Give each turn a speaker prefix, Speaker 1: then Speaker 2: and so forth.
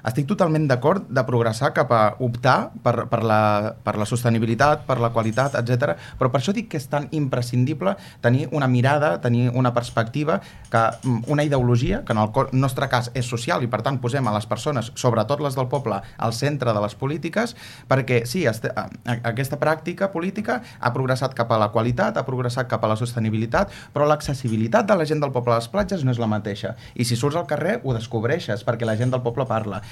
Speaker 1: estic totalment d'acord de progressar cap a optar per la sostenibilitat, per la qualitat, etc. Però per això dic que és tan imprescindible tenir una mirada, tenir una perspectiva, una ideologia, que en el nostre cas és social i per tant posem a les persones, sobretot les del poble, al centre de les polítiques, perquè sí, aquesta pràctica política ha progressat cap a la qualitat, ha progressat cap a la sostenibilitat, però l'accessibilitat de la gent del poble a les platges no és la mateixa. I si surts al carrer ho descobreixes, perquè la gent del poble parla.